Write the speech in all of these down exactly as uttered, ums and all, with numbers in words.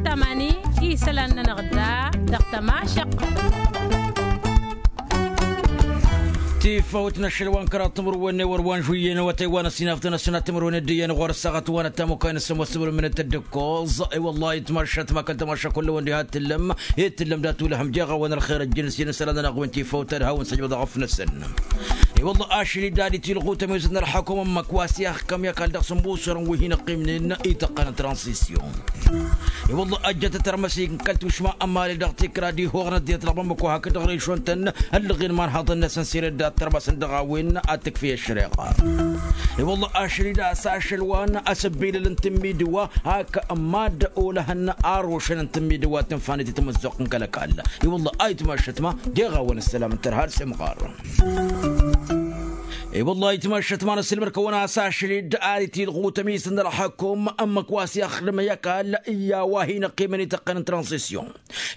Tamani isălan-nănăɣ da dăɣ-tămašăqqăt. Tifăwt n-ašăl wa n-kăraḍ timǝrwen n-ewăr wa n-žuyyen awătay wa n-ăsinafdăn ăssinat timǝrwen d-iyyăn ɣur-ăssaɣăt wa n-ăttamukay n-ăssămoos timǝrwen n-tăddǝkkoẓ. I-wăllah itmašat ma kăl-tamaša kull-ăwăn diha t-tǝllăm i-tǝllăm dat-ulăhăm jeɣ-awăn ălxer ăjjǝn s-iyyăn isălan-nănăɣ wi n-tifăwt ad-hawăn-săjbăḍ aɣăf-năsăn. I-wălla ašăl-i d-ad-itilɣu tămizăt n-ălḥăkum ămmăk wa s-iha ăkkăm i-ăkall dăɣ-sǝmbusurăn wi hin-ăqqimnen ităqqăn n-transisyun. I-wălla ăjjăt tărmăsik n-kăl-tušma ămali dăɣ-tikra d-ihoɣ n-ăddinăt dăɣ-bamăko hakd dăɣ-režon-tăn ăllăɣen imanhaḍăn-năsăn sirăt dat-tărmăsăn dăɣ-a-wen ad-tǝkfǝy ăššăreɣa. I-wălla ašăl-i d-a-s ašăl wa n-asǝbbilăl n-tǝmmidǝwa hak mad-olăhăn arošăn n-tǝmmidǝwa tǝnfanit i-tamǝzzuɣt n-kăl-ăkall. I-wălla a itmašăt ma deɣ-a-wen ăssălam n-tărha d-semɣar. I-wălla itmašăt ma n-ăssilmăr-kăwăn a-s ašăl-i d-ad-itilɣu tămisăn n-ălxăkum ǝmmǝk wa s-ixdǝm i-ăkall i-a-wa hin-ăqqimăn ităqqăn n-transisyun.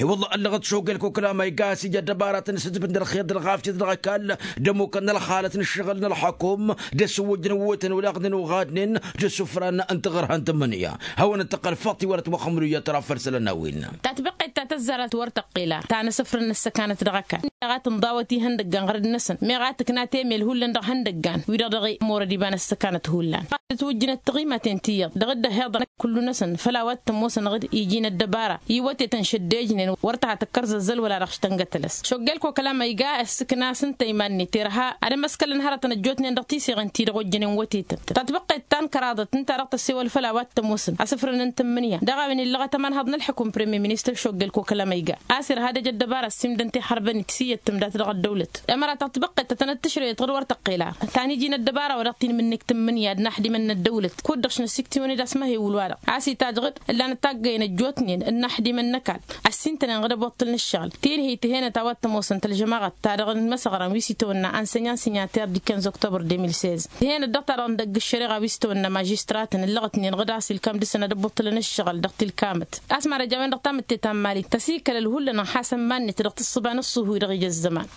I-wălla ăllăɣăt šogel kokăla ma iga a-s ija ăddăbaratăn s-ǝdǝbǝn d-ălxer d-ălɣafyăt dăɣ-ăkall d-ămmukăn n-ălxalăt n-ǝššăɣǝl n-ălxăkum d-asǝwwǝjăn wătăn wăla ăɣdǝn uɣadnen d-asǝfran n-tiɣărha n-tǝmmǝnǝya. Hawăn-dd-tăqqăl făṭṭi wăr-ătwăxxămrǝyya tăra făll-isălan n-a-wen. Tatbăqqet ta tăzzarăt wăr tăqqel a ta n-asǝfrǝn n-ăssăkanăt dăɣ-ăkall meɣ a tǝnḍawăt ihăndăggan ɣărăd-năsăn meɣ a tǝkna temel hullan dăɣ-ihăndăggan wi-dăɣ dăɣ-i ămorăd iba n-ăssăkanăt hullan. Tǝtwǝjjǝnăt tiɣimaten ti iyyăḍ dăɣ-dd-ăhhiḍăn kullu-năsăn făll-a-wa t-ămoosăn ɣǝd iji n-ăddăbara iwătetăn šăddejnen wăr tăha tăkkărzăzzăl wăla dăɣ-s tăngătălăs šoggel kokăla ma iga ăssǝkna s-ǝnta iman-net irha ad-ămăskălăn hărătăn ăjjootnen dăɣ-tiseɣen ti-dăɣ ojjănen wătetăn. Tatbăqqet ta n-kăraḍăt ǝnta-dăɣ tăssewăl făll-a-wa t-ămoosăn asǝfrăn n-tǝmmǝnǝya dăɣ-a-wen illăɣăt ămanhăḍ n-ălḥăkum premier ministăr šoggel kokăla ma iga a-s irha ad-ăj ăddăbara ăssiimdăn tixărbănit s-iyyăt tǝmdat dăɣ-ăddăwlăt. Ămăra tatbăqqet ta tănăt-tǝšrăyăt ɣǝd wăr tăqqel a ta n-iji n-ăddăbara wa dăɣ-tinmǝnnik tǝmmǝnǝya d-inaxdimăn n-ăddăwlăt kud-dăɣ šnăsiktǝwăn-dd a-s măhewǝl-wa-dăɣ a-s itajj ɣǝd ǝllanăt taggăyăn ăjjootnen inaxdimăn n-ăkall ăssintănen ɣǝd ăboṭṭǝl n-ǝššăɣǝl. Tinhǝy tǝhenăt a-wa t-ămoosăn tălžămaɣăt ta dăɣ-n imăsăɣran wi s-itawănna ănsenyan s-inyăter d-ikănz oktobăr de mil sez tǝhenăt dăɣ-ta-dăɣ n-dăgg-ǝššăreɣa wi s-itawănna mažistratăn ǝllăɣătnen ɣǝd a-s ilkam dăr-săn ad-ăboṭṭǝlăn ǝššăɣǝl dăɣ-tilkamăt. A-s mad-ăj a-wen-dăɣ tamǝtte ta n-mali tăsikăl ălhullăn ănxasăn iman-net dăɣ-tǝssǝba n-ǝṣṣuhu-i-dăɣ ija ăzzăman.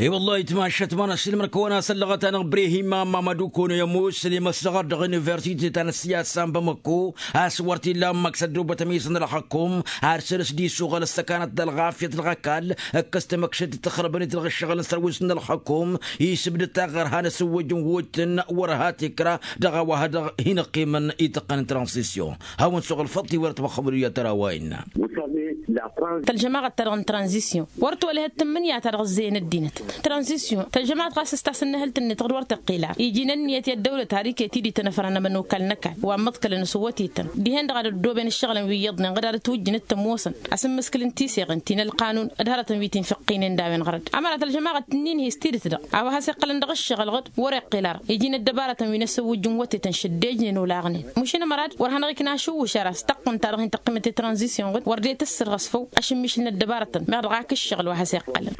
I-wăllah itmašăt ma n-ăssiilmăr-kăwăn a-s ăllăɣăt-anăɣ brehima mamădu kono i-ămoos ălimăssăɣăr dăɣ-universite ta n-ăssiyasa n-bamăko a-s wăr t-illa ǝmmăk s-ăddoobăt ămiisăn n-ălxăkum ar săr-s dd-isuɣăl ăssăkanăt d-ălɣafyăt dăɣ-ăkall ǝkkăs tamăkšăt d-tăxrăbăn-i-dăɣ ǝššăɣǝl n-sărwis n-ălxăkum isǝbdăd taɣărha n-asǝwwăj n-wǝtǝn wăr hat-ikra dăɣ-a-wa dăɣ-hin-ăqqimăn ităqqăn n-tranzisyon. Hawăn-suɣǝl făḍt-i wăr ătwăxxămăl iyyăt ăraway-nănăɣ. Tălžămaɣăt-ta-dăɣ n-tranzisyon wăr tolăhăt tǝmmǝnǝya-ta-dăɣ ǝzzeyăn ăddinăt. Tranzisyon tălžămaɣăt ɣas s-tasǝnnăhǝlt-net ɣǝd wăr tăqqila iji n-ǝnniyăt i-ăddăwlăt har iket-i d-itănăfrăn ămănokal n-ăkall wa n-imǝḍkălăn s-wătetăn dihen-dăɣ ad-ăddooben ǝššăɣǝlăn wi iyyăḍnen ɣǝd ad-ătwǝjjǝnăt tămoosăn asǝmmǝskǝl n-tiseɣen ti n-ălqanun d-hărătăn wi t-infǝqqinen d-a-wen ɣărăt. Ămăra tălžămaɣăt tǝnnin hi-s tidǝt-dăɣ a-wa has-iqqălăn dăɣ-ǝššăɣǝl ɣǝd wăr-iqqel ara iji n-ăddăbarătăn wi n-ăssăwwǝjjǝn wătetăn šăddejnen olaɣnen. Măšin ămărad wăr hanăɣ-ikna ašǝwwǝš ara s-taqqǝnt-ta-dăɣ hin-tăqqimăt i-tranzisyon ɣǝd wăr dd-e-tǝssǝrɣǝs făw ašǝmmišǝl n-ăddăbarătăn meɣ dăɣ-ak ǝššăɣǝl wa has-iqqălăn.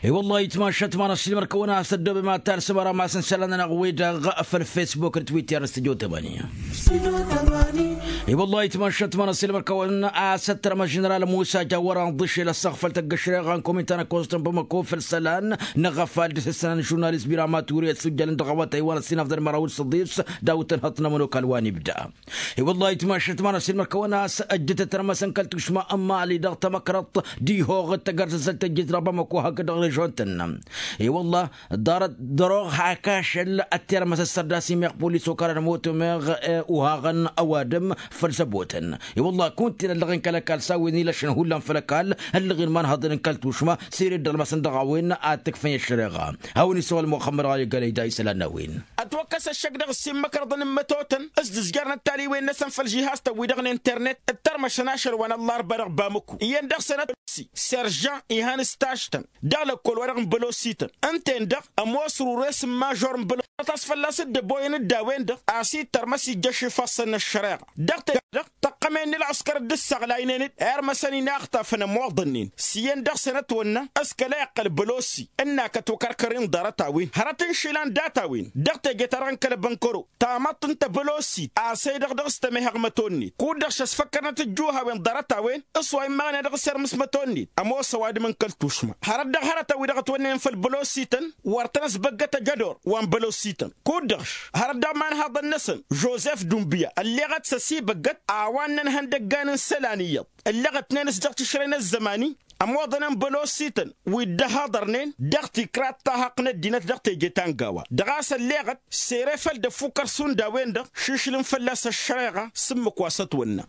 I-wăllah itmašăt ma n-ăssiilmăr-kăwăn a-s ăddoobem ad-talsăm ara masăn isălan-nănăɣ-wi-dăɣ făll-fesbuk d-twitter n-studio tămani. I-wăllah itmašăt ma n-ăssiilmăr-kăwăn a-s ăttărăm ăženeral musa jawăr anḍǝšel ăssaɣ făll-tăggăšreɣa n-kominta n-ăkkoẓ tăn-bamăko făll-isălan năɣăfal d-isăssan n-žurnalist bira maturi ăssujjălăn dăɣ-awătay wa n-ăssinafḍăn măraw d-săḍis d-a-wa t-ănhăḍ n-ămănokal wa n-ibda. I-wăllah itmašăt ma n-ăssiilmăr-kăwăn a-s ăjjătăt tărmăsăn kăl-tušma n-imali dăɣ-tamăkrăḍt d-ihoɣ d-tagărzăzălt tăjjăt dăɣ-bamăko hakd dăɣ-režon-tăn. I-wăllah ḍarăt dăr-oɣ hak ašăl ăttermăs ăssărdas imeɣ polis okăran ămoot umeɣ uhaɣăn ăwadǝm făll-săbotăn. I-wăllah kunta-en ăllăɣen kăl-ăkall s-a-wen ilăšăn hullan făll-ăkall ăllăɣen imanhăḍăn n-kăl-tušma s-ere dd-ălmăsăn dăɣ-a-wen ad-t-ǝkfǝy ăššăreɣa. Hawăn-isăwăl muxămmăd ɣali gălăy da isălan n-a-wen. Ătwăkkăs ăššăk dăɣ-ǝssin imăkrăḍăn n-imătotăn s-dd-ǝzjărnăt taliwen-năsăn făll-žihaz-tăn-wi-dăɣ n-internet d-tărmăšăn ašăl wa n-ăllarba dăɣ-bamăko iyyăn dăɣ-săn ătwăkkas serjan ihăn-s taštăn dăɣ-lăkkol-wa-dăɣ n-bălosităn ǝnta-en-dăɣ ămoos rures n-mažor n-bălosităn a-s fălla-s dd-ăboyăn d-a-wen-dăɣ a-s ittărmăs ijjăš ifassăn n-ăššăreɣa. Dăɣ-te-dăɣ tăqqămen n-ălɣăskăr dd-ǝssaɣlaynen-dd irmăsăn inaxtafăn ămoḍănnen s-iyyăn dăɣ-săn ătwănna s-kăla iqqăl bălosi ǝnn'-ak ătwăkărkăr-in ḍarăt-a-wen hărăt n-išilan dat-a-wen. Dăɣ-teje-ta-dăɣ n-kăl-bănkăro tamăḍt n-tebălosit a-s ăy dăɣ-dăɣ s-tămehăɣ măto-net kud-dăɣ šăsfăkkărnăt ǝjjuhawen ḍarăt-a-wen s-wa immăɣnen dăɣ-s irmǝs măto-net ămoos ăwadǝm n-kăl-tušma. Hărăt dăɣ-hărătăn-wi-dăɣ ătwănnen făll-bălosităn wăr tăn-ăsbăggăt ăjădor wa n-bălosităn kud-dăɣ hărăt dăɣ-imanhaḍăn-năsăn žozef dunbǝya ălleɣăt s-ăsibăggăt a-wa n n-ihăndăggan n-isălan iyyăḍ ǝllăɣătnen s-dăɣ-tišrăy n-ăzzăman-i. Ămoḍăn n-bălosităn wi dd-ăhaḍărnen dăɣ-tikra t-tahăqq n-ăddinăt dăɣ-teje ta n-gawa dăɣ-a-s ălleɣăt sere făll-dd-ăffukăr šund a-wen-dăɣ. Šišlǝm fălla-s ăššăreɣa s-ǝmmǝk wa s-ătwănna.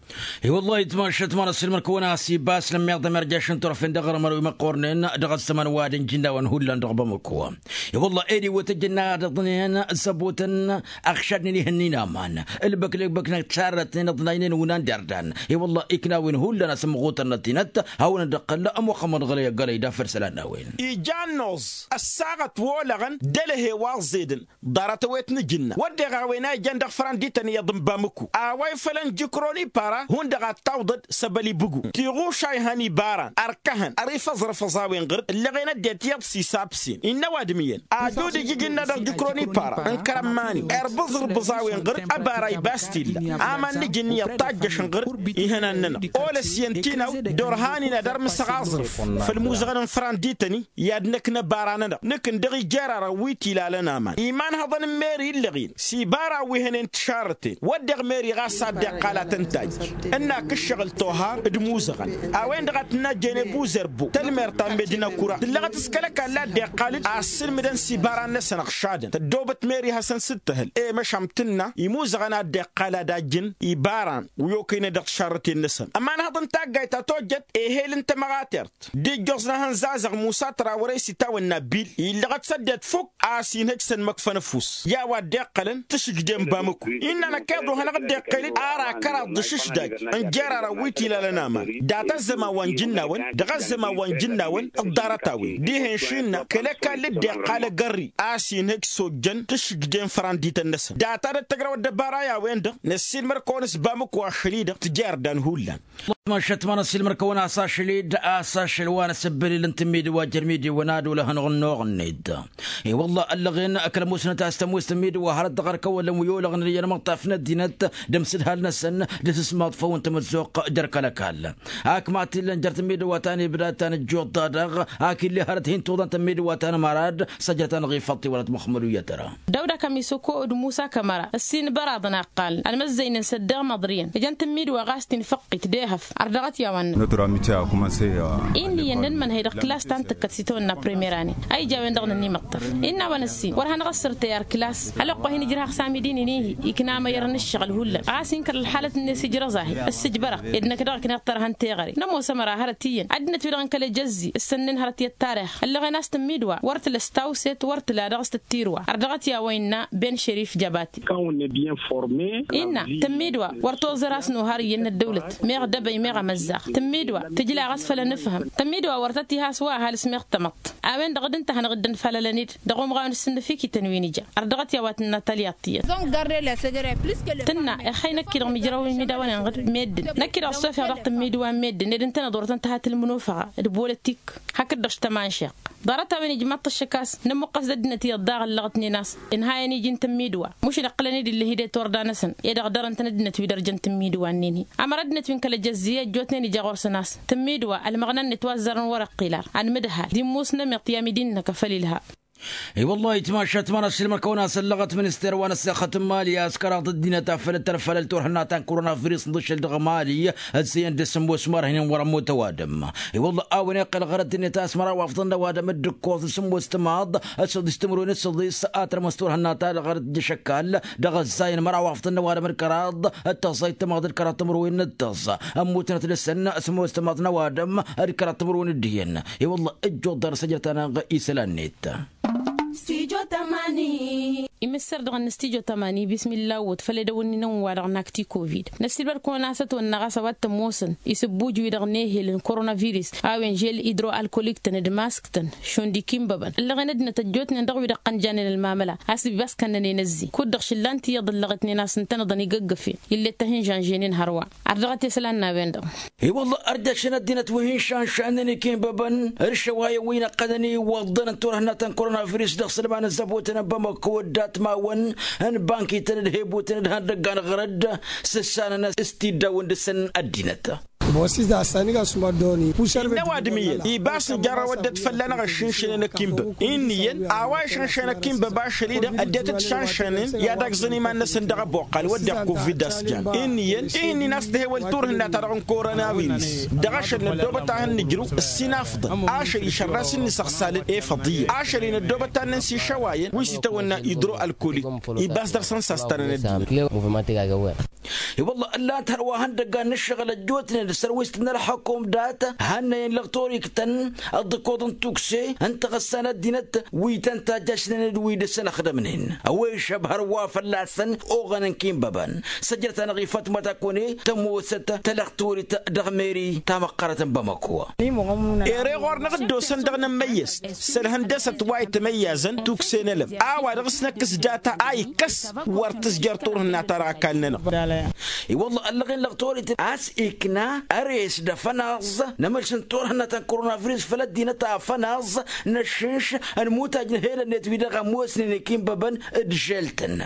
I-wăllah itmašat ma n-ăssiilmăr-kăwăn a-s iba s-lămmiḍăm irjaš n-turăfen dăɣ-armăr wi măqqornen dăɣ-ăzzăman wa d-ǝnjǝnnawăn hullan dăɣ-bamăko. I-wăllah ed iwwăt ăjjănna ad-iḍnen zăbotăn ăɣšadnen ihǝnnin aman ǝlbăklăkbăk n-ăttarrătnen ăḍnaynen unan d-ardan. I-wăllah iknawen hullan a-s ǝmmăɣutăn n-ăddinăt hawăn-dd-ăqqăl ămoxămăḍ ɣălăy ăggalăy dafăr isălan n-a-wen. Ija n-noẓ ăssaɣăt wolăɣăn d-elăhe wa ăẓẓedăn ḍarăt ăwet n-ajǝnna wădden a-wen a ijan dăɣ-fărăn d-ităn iyyăḍ n-bamǝku a-wa ifălăn jǝkron ipara hundăɣ ad-tawḍăd s-ăbăl ibǝgu tiɣuša ihăn ibaran ărkăhăn ărifăẓrăfăẓ a-wen ɣǝr-dd ǝllăɣen ăddinăt iyyăḍ s-isabsen innă ăwadǝm iyyăn ad-dd-ijǝj innă dăɣ-jǝkron ipara n-kărămmani irbǝẓrǝbǝẓ a-wen ɣǝr-dd ăbara ibas t-illa aman n-ijǝnni iyyăḍ tajjăšăn ɣǝr-dd ihănan-nănăɣ olăs iyyăn tinaw d-orhan-in ad-ărmǝsăɣ aẓrǝf făll-imuzăɣăn n-fărăn d-ităn-i i-ad-năkk n-ăbara-nănăɣ nǝkk n-dăɣ-ijerarăn wi t-ilalăn aman imanhăḍăn n-meri illăɣ-in s-ibara wi hănen tišarrăten wădden meri ɣas a dd-iqqal ad-tăn-tajj ǝnnak ǝššăɣǝl tohar d-imuzăɣăn a-wen-dăɣ a tǝnnăjjăyăn i-buzărbo tălmert ta n-medina kura tǝllăɣăt s-kăl-ăkall a dd-iqqal d-assǝlmǝdăn s-ibaran-năsăn ăɣšadăn tăddoobăt meri hasăn-sǝttǝhǝl i-măšan tǝnna imuzăɣăn a dd-iqqal ad-ajjǝn ibaran wi okăynăy dăɣ-tišarrăten-năsăn ămanhăḍ n-taggayt ta tojjăt ehel n-tămăɣatert d-ijjoẓ n-ehăn zazăɣ musa tăra wăr-e-s itawănna bil illăɣăt s-ăddinăt fukk a-s inhăj s-ănmăkfăn ăfuss i-a-wa dd-iqqălăn tǝšǝjdem bamǝku innă năkk iḍu hanăɣ-dd-iqqel-dd ara kăraḍ d-ašǝšdaj n-jerarăn wi t-ilalăn aman data ăzzăman wa n-jǝnnawăn dăɣ-ăzzăman wa n-jǝnnawăn ǝḍḍarăt a-wen dihen šinna kăl-ăkall dd-iqqal agărri a-s inhăj s-ojjăn tǝšǝjdem fărandităn-năsăn data d-ăttăgrăwăt d-ăbara i-a-wen-dăɣ năssiilmăr-kăwăn s-bamǝku ašăl-i-dăɣ tǝjerdăn hullan. Măšat ma n-ăssiilmăr-kăwăn a-s ašăl-dd a-s ašăl wa n-asǝbbǝlǝl n-tǝmmidǝwa jer-imidǝwăn ad-olăhăn ɣur-nănoɣ-net. I-wălla ăllăɣen kăl-ămoosnăt a-s tămoos tǝmmidǝwa hărăt dăɣ-ărkăwălăn wi olăɣnen i-inmăṭṭaf n-ăddinăt d-amsǝdhal-năsăn d-asǝsmaḍ făw n-tamăzzuɣt jer-kăl-ăkall. Ak ma t-illăn jer-tǝmmidǝwa ta n-ibda ta n-ǝjjuḍ-ta-dăɣ ak ill'-e hărăt hin-tuḍan tǝmmidǝwa ta n-amărad s-ajrăt-anăɣ ifăṭṭ i-wăla timăxmăduyăt ăra. Dăwda kămisokood musa kămăra ăssin băraḍăn a ǝqqalăn ălmăzzăynen s-ăddeɣ măḍriyăn ǝjăn tǝmmidwa ɣas tinfăqqit d-ehăf. Ărdăɣăt i-a-wa n-nănăɣ. Innă iyyăn n-ănmănhăy dăɣ-klas ta n-tǝkkăt s-itawănna primer ane a ija a-wen-dăɣ nǝnn'-i imǝṭṭăf. Innă a-wa n-ăssin wăr hanăɣ-ăssărtăy ar klas. Ălwăqq wa hin-ijrăhăɣ s-amidi n-inihi ikna amăyăr n-ǝššăɣǝl hullan ɣas inkăr ălxalăt-net ijrăẓ-ahi. Ăssǝjbărăɣ ed năkk dăɣ-ikna iṭṭărăhăn teɣăre nămoos ămăra hărăt iyyăn ăddinăt-wi-dăɣ n-kăl-ejăzzi s-ănnen hărăt i-ăttarix ăllăɣen a-s tǝmmidwa wăr tǝla s-tawset wăr tǝla dăɣ-s tǝttirwa. Ărdăɣăt i-a-wa innă ben šerif jăbati. Innă tǝmmidwa wăr toẓăr a-s nohar iyyăn n-ăddăwlăt meɣ dăbăy meɣ amăzzaɣ. Tǝmmidwa tǝjla ɣas făll-anǝfhǝm tǝmmidwa wăr tăt-iha a-s wa ăhalǝs meɣ tamăḍt. A-wen-dăɣ d-ǝnta a hanăɣ-dd-ănfalălăn-dd dăɣ-umɣawen d-sǝnnǝfikităn wi n-ija. Ărdăɣăt i-a-wa tǝnna talyaḍt iyyăt. Tǝnna ixăy năkk-i-dăɣ mijrăw imidawăn-en ɣǝd meddǝn năkk-i-dăɣ ăssofeɣ dăɣ-tǝmmidǝwa n-meddǝn ed ǝntăneḍ wăr tăn-tăha tǝlmǝnufăɣa d-bolăt ikk. Hakd-dăɣ s-tămanšeɣt ḍarăt-a-wen ijmaḍ-t ăššăk a-s nămmuqqăs d-ăddinăt iyyăḍ daɣ ăllăɣătnen a-s ǝnhayăn iji n-tǝmmidǝwa. Mušǝn iqqǝlăn-dd ill'-e-hi d-e-turda-năsăn ed ăɣdărăn-tăn ăddinăt wi dărjăn tǝmmidǝwa-nin-hi. Ămăra ăddinăt wi n-kăl-ejăzzi ăjjootnen ija ɣur-săn a-s tǝmmidǝwa ălmăɣna-net wa ăzzarăn wăr-iqqil ar anmǝdhal d-immos n-amiḍt i-amidi-năk a făl ilha. I-wăllah itmašat ma n-ăssiilmăr-kăwăn a-s ăllăɣăt minister wa n-ăssexăt n-mali a-s kăraḍ ăddinăt a făl ăttănfalăl turhǝnna ta n-korona virus n-aḍǝššăl dăɣ-mali. Ăzzeyăn d-asǝmmos marhǝynen wăr-ămmut ăwadǝm. I-wăllah a-wen iqqăl ɣărăt-net a-s măraw afḍăn n-ăwadǝm d-ǝkkoẓ n-sǝmmos timaḍ d-săḍis timǝrwen d-săḍis a tărmăs turhǝnna-ta-dăɣ ɣărăt d-ašăkkal. Dăɣ-ăzzayăn măraw afḍăn n-ăwadǝm d-kăraḍ d-tăẓẓayt timaḍ d-kăraḍ timǝrwen d-tăẓẓa. Ămmutnăt dăɣ-săn sǝmmos timaḍ n-ăwadǝm d-kăraḍ timǝrwen d-iyyăn. I-wălla ǝjjuḍ dăr-s ăjrăt-anăɣ isălan-net. Imǝssăr dăɣ-năstijo tămani bismilla wăt făll-edăwănni n-ănwa-dăɣ n-akti covid. Năssiilbăr-kăwăn a-s ătwănnăɣ a-s a-wa t-ămoosăn isǝbbuj-wi-dăɣ n-ehel n-korona virus a-wen žel idro-alkolik-tăn d-mask-tăn šund ikinbăbăn ǝllăɣen ăddinăt ăjjootnen dăɣ-wi-dăɣ ăqqăn janen ălmamăla. A-s ibas kănnănen ăzzin kud-dăɣ šǝllan-t iyyăḍ ǝllăɣătnen a-s ǝntănăḍăn igăggăfen ill'-e t-ahǝnžanženen hărwa. Ardăɣăt i-isălan n-a-wen-dăɣ. I-wălla ărjăšăn ăddinăt wi hin-šanšannen ikinbăbăn d-išăwayăn wi n-ăqqănăn iwwăḍḍăn n-turhǝnna ta n-korona virus dăɣ-isălan n-ăzzăbotăn n-bamăko ăddatmawăn n-bankităn d-hebutăn d-ihăndăggan ɣărăd. Sǝssanăn s-tiddawăn dăɣ-săn ăddinăt. Innă ăwadǝm iyyăn ibas n-jarrăwăd dd-fălla-năɣ ăššǝnšănen ăkinbăb. Inn'-iyyăn a-wa išănšăn ăkinbăb ašăl-i-dăɣ ăddinăt dd-šanšănen i-ad-agzăn iman-năsăn dăɣ-ăboqqal wădden covid a-s jan. Inn'-iyyăn ih'-ǝnnin a-s tǝhewăl turhǝnna-ta-dăɣ n-korona virǝs dăɣ-ašăl năddoobăt ad-hăn-nǝjrǝw ǝssin afḍăn ašăl išărras n-inǝsăɣsalăn efăḍ iyyăn ašăl-i năddoobăt ad-nǝnsi išăwayăn wi s-itawănna idro-ălkolik. Ibas dăɣ-săn s-a-s tăn-ănăddinăt. I-wălla ǝllan-t hărwa ihăndăggan n-ǝššăɣǝl ăjjootnen d-sărwist n-ălxăkum dat-hannăyăn lăɣ toriktăn ăḍḍǝkoḍ n-tukse n-taɣǝssa n-ăddinăt wi tăn-tajjašnen d-wi dăr-săn ăxdămnen ăwwăyšăb hărwa fălla-săn oɣăn n-kinbăbăn. Săjdăt-anăɣ i-fatma takone tămoosăt talăɣtorit dăɣ-meri tamăqqărăt n-bamăko. Ere ɣur-năɣ dd-osăn dăɣ-inămmăyyăst s-ălhăndăsăt wa itmăyyazăn tukse n-elăb a-wa dăɣ-s năkkǝs data a ikkăs wăr tǝzjăr turhǝnna-ta-dăɣ ăkall-nănăɣ. I-wălla ăllăɣen lăɣtorit a-s ikna ăres d-afănaẓ n-emălš n-turhǝnna ta n-koronavirus făll-ăddinăt afănaẓ n-ăššǝnš n-imutaj n-helănnet wi-dăɣ ămoosnen ikinbăbăn d-žel-tăn.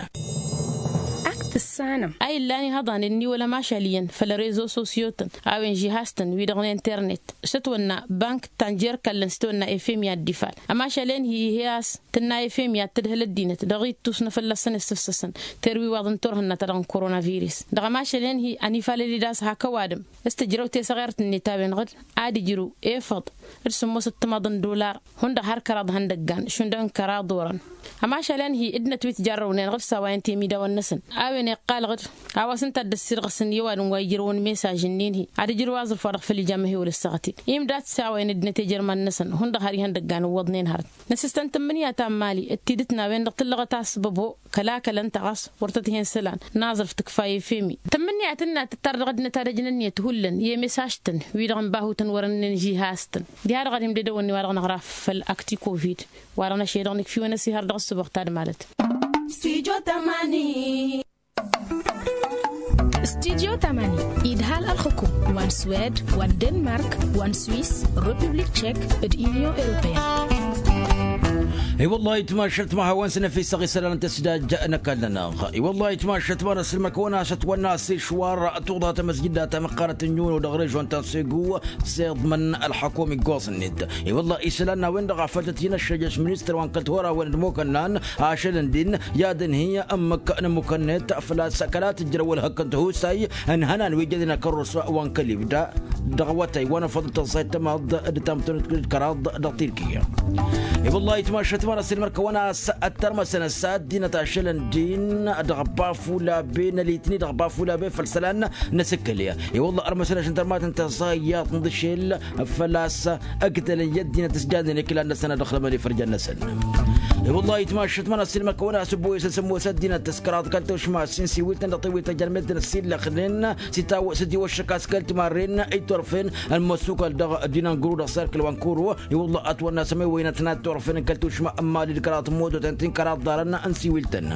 Ak tǝssanăm a illan ihăḍanen n-iwăl ămašal iyyăn făll-rezo sosyo-tăn a-wen žihaz-tăn wi-dăɣ n-internet s-ătwănna bank tanjer kallăn s-tăwănna efem i-ad-dd-ifal ămašal-en hi-ihi a-s tǝnna efem i-ad-tǝdhǝl ăddinăt dăɣ-ittus n-afălla-săn issǝfsăsăn terwiwaḍ n-turhǝnna-ta-dăɣ n-korona virǝs dăɣ-ămašal-en hi-ănifalăl-dd a-s hak ăwadǝm s-tǝjrăw tesăɣert-net a-wen-dăɣ ad-ijrǝw efăḍ d-sǝmmos ǝttămaḍ n-dollar hundăɣ har kăraḍ ihăndăggan šund n-kăraḍ orăn. Ămašal-en hi-ǝddinăt wi t-jarrăwnen dăɣ-s a-wa ǝnta-i imidawen-năsăn a-wen iqqal-dăɣ-dd a-wa s-ǝnta a dd-ăssirɣǝsăn i-ăwadǝm wa ijrăwăn mesaj-ǝnnin-hi ad-ǝjrǝw aẓrǝf wa dăɣ-făll-ija amăhewăl ǝssaɣăt-in imdat s-a-wa inăddinăt ejărman-năsăn hundăɣ har ihăndăggan ǝwwăḍnen hărăt. Năsǝstăn tǝmmǝnǝya ta n-imali d-tidǝt n-a-wen-dăɣ tǝllăɣăt a-s băbo kăla kăla ǝnta ɣas wăr tăt-hen isălan n-aẓrǝf tǝkfa efemi tămmǝnǝya tǝnna tǝttar dăɣ-ăddinăt ad-ăjnăn ǝnniyăt hullan i-emesaj-tăn wi-dăɣ n-bahutăn wăr-ǝnnen žihaz-tăn. Diha-dăɣ ad-imdădăwăn i-wa-dăɣ năɣra făll-akti covid wa-dăɣ năšăyădăɣ nǝkf'-iwăn ăsihăr dăɣ-ǝssǝboɣ ta d-malăt. Stujo tamani. Stujo tamani idhal ălxǝkum wa n-swed wa n-denmark wa n-swis, republik tšek, d-inyon europeyăn. I-wăllah itmašăt ma hawăn-săn efisăɣ isălan n-tăsdaj n-ăkall-nănăɣ. I-wăllah itmašăt ma n-ăssilmăr kăwăn-asăt wănna s-išwar tuḍa tamăsjida ta măqqărăt n-inyuno dăɣ-režon ta n-segu s-iḍmăn ălxăkum iggoẓ-net. I-wăllah isălan n-a-wen-dăɣ a făl tăt-hin-ăššăjăš ministăr wa n-kăl-tura-wen d-imukănnan ašăl ǝndin i-ad-ǝnhǝy ǝmmǝk n-ămmukăn-net făl-a-s kăla tǝjrăw ălhăkk n-tihusay n-ihănan wi jănen ăkărrus wa n-kăl-ibda dăɣ-awătay wa n-afăḍ n-tăẓẓayt tămaḍt d-tamtănut d-kăraḍ dăɣ-tirkiya. I-wăllah itmašăt ma n-ăssilmăr kăwăn-as ăttărmăsăn ăssa ăddinăt ašăl ǝndin dăɣ-bafulabe n-ălitni dăɣ-bafulabe făll-isălan n-asǝkkăl. I-wălla ărmăsăn ašǝntărmatăn tăẓẓa iyyăḍ n-dăšel făl-a-s ǝgdălăn i-ăddinăt s-jannen iklan-năsăn ad-ăxlămăn ifărjan-năsăn. I-wălla itmašăt ma n-ăssilmăr kăwăn-asǝbbu isăn sămmos ăddinăt s-kăraḍ kăl-tušma s-insiwǝl-tăn dăɣ-tewit ta jărmet-tăn s-illăxnen s-itiwăššăk a-s kăl-timarren itorfen ălmăsukăl dăɣ-dinangru dăɣ-serkǝl wa n-kuru. I-wălla ătwănna s-ămewăynăt n-ad-torfen kăl-tušma n-imali d-kăraḍ mototen ti n-kăraḍ ḍarăn n-siwǝl-tăn.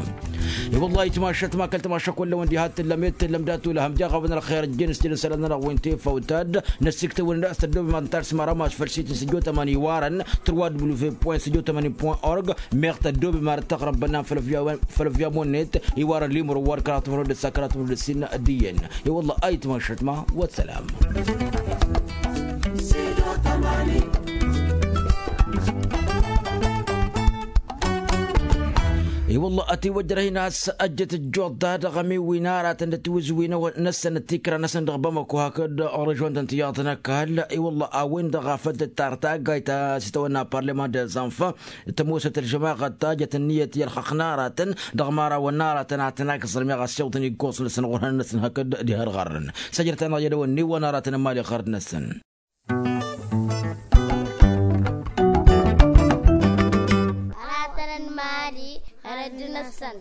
I-wăllah itmašăt ma kăl-tamašăk wăllăwăn diha t-tǝllăm i-t-tǝllăm dat-ulhăm jaɣ-awăn ălxer ǝjjen s-tǝlǝn isălan-nănăɣ wi n-tefawt ad-năssiktăwăn d-a-s tăddoobem ad-nǝtar s-imăra maš făll-sit n-sǝjjo tămani iwarăn tărwa w point sǝjjo tămani point org. Meɣ tăddoobem ar dd-tăɣrăb bănnan făll-ăvyamu-net iwarăn limru wa d-kăraḍ timru d-ǝssa kăraḍ timru d-ǝssin d-iyyăn. I-wăllah a itmašăt ma wăssălam. I-wălla ătiwăjrăh-in a-s ăjjăt ăjjoḍ-ta dăɣ-ămiwin aratăn d-atiwǝzwin-năsăn d-tikra-năsăn dăɣ-bamăko hakd režon-tăn tiyyăḍ n-ăkall. I-wălla a-wen-dăɣ a făl tǝttar taggayt ta s-itawănna parlăman dezanfa tămoosăt ălžămaɣăt ta jăt ǝnniyăt i-ălxăqq n-aratăn dăɣ-imărawăn n-aratăn ad-tăn-akẓăr meɣ ăssiwḍăn iggoẓ-năsăn ɣur-hăn-năsăn hakd diha ălɣarrăn. Săjdăt-anăɣ i-ad-ăwănni wa n-aratăn n-imali ɣărd-năsăn. Aratăn n-imali ɣărd-năsăn.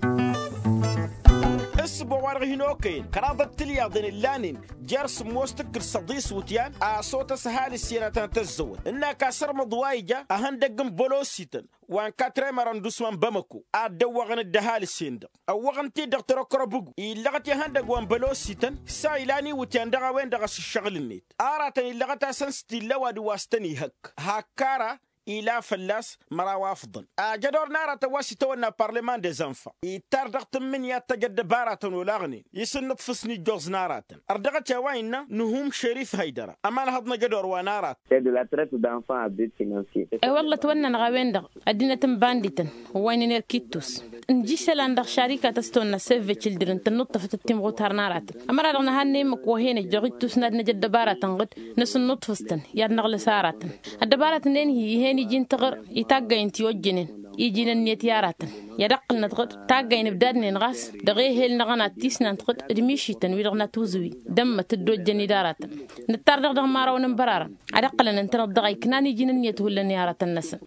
Ǝssǝboɣ wa dăɣ-hin-okăyăn kăraḍăt tilyaḍen ǝllanen jer-sǝmmos tǝkkǝl săḍis iwǝtyan a-s otăs ăhalǝs i-ad-tăn-tăzzăwăt ǝnn'-ak asărmăḍ wa ija ăhăndăgg n-bălosităn wa n-katrem arăndusma n-bamăko ad-dd-ăwwăɣăn-dd ăhalǝs-en-dăɣ ăwwăɣăn-t-dd dăɣ-tărăkrăbǝgu illăɣăt ihăndăgg wa n-bălosităn s-a ilan iwǝtyan dăɣ-a-wen-dăɣ a-s ǝššăɣǝl-net aratăn illăɣăt-asăn s-t-illa ăwadǝm wa s-tăn-ihăkk hak kara. ila fălla-s măraw afḍăn. Ajădor n-aratăn wa s-itawănna parleman dezănfan ittar dăɣ-tǝmmǝnǝya d-tăj ăddăbaratăn olaɣnen isǝnnǝḍfǝs n-ijjoẓ n-aratăn. Ărdăɣăt i-a-wa innă nuhum šerif hăydăra ămalhăḍ n-ajădor wa n-aratăn. Ed la tret d-anfan a bit finansye. E-wălla ătwănnănăɣ a-wen-dăɣ ăddinăt n-bandităn wa ǝnnăn erk ittus. Nǝja isălan dăɣ-šarikat a-s tăwănna săvve cildren tănnuṭṭăfăt d-timɣutar n-aratăn. Ămăra-dăɣ nǝhannăyăm ăkk wa hen-ăjjoɣ ittus n-ad-năj ăddăbaratăn ɣǝd nǝsǝnnuṭṭfǝs-tăn i-ad-năɣlǝs aratăn. Ăddăbaratăn-en hi-ih'-en iji n-tiɣǝr i-taggay n-tiwăjjănen iji n-ǝnniyăt i-aratăn. I-ad-ăqqǝlnăt ɣǝd taggay n-ǝbdadnen ɣas dăɣ-ehel-năɣ ănattisnant ɣǝd d-mišităn wi-dăɣ n-atuzǝwi d-ămmăt dd-ojjăn-dd aratăn. Nǝttar dăɣ-dăɣ imărawăn n-bărarăn ad-ăqqǝlăn ǝntăneḍ dăɣ-a iknan iji n-ǝnniyăt hullan i-aratăn-năsăn.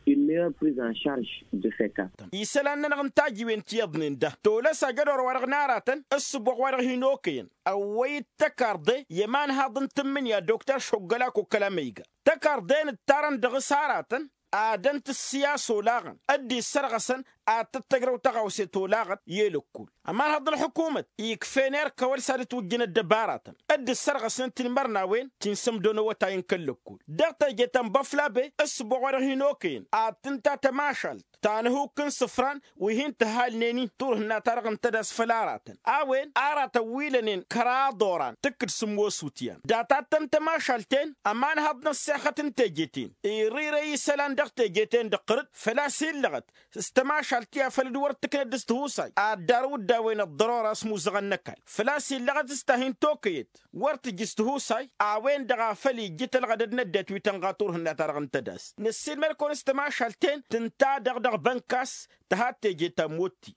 Isălan-nănăɣ n-tajiwen ti iyyăḍnen da tolăs ajădor-wa-dăɣ n-aratăn ǝssǝboɣ wa-dăɣ hin-okăyăn ăwwăy-dd tăkarḍe i-ămanhaḍ n-tǝmmǝnǝya dokter šoggălak okăla măyga. Tăkarḍe-en ǝttarăn dăɣ-s aratăn ad-ănt ǝssǝyas olaɣăn dd-issărɣăsăn ad-tăt-tăjrăw tăɣawse tolaɣăt i-elăkkul. Ămanhăḍ n-ălxukumăt ikf'-en erk a-wa s-ad-ǝtwǝjjăn ăddăbaratăn dd-ǝssărɣăsnen tinmărnawen ti n-sămdon awătay n-kăl-lăkkul. Dăɣ-teje ta n-băflabe ǝssǝboɣ wa dăɣ-hin-okăyăn ad-tǝnta tămašalt ta n-ehuk n-isǝfran wi hin-tǝhalnen-i turhǝnna-ta-dăɣ n-tădas făll-aratăn a-wen aratăn wi lănen kăraḍ oran tǝkkǝd sǝmmos utyan data-tăn tămašalt-en. Ămanhăḍ n-ăssexăt n-teje-ten irǝyre isălan dăɣ-teje-ten dăɣ-tărǝt făl-a-s illăɣăt s-tămašalt ti afăl dd-wăr t-tǝknăd s-tihusay ad-darǝw-dd a-wen ăḍḍărora s-imuzăɣăn n-ăkall. Făl-a-s illăɣăt s-ta hin-tokăyăt wăr tǝjj s-tihusay. A-wen-dăɣ a făl ijjǝt ălɣădăd n-ăddinăt wi tănɣa turhǝnna-ta-dăɣ n-tădast năssiilmăd-kăwăn s-tămašalt-en tǝnta-dăɣ dăɣ-bănkas tǝha teje ta n-motti.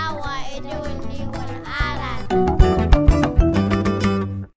A-wa edăwăn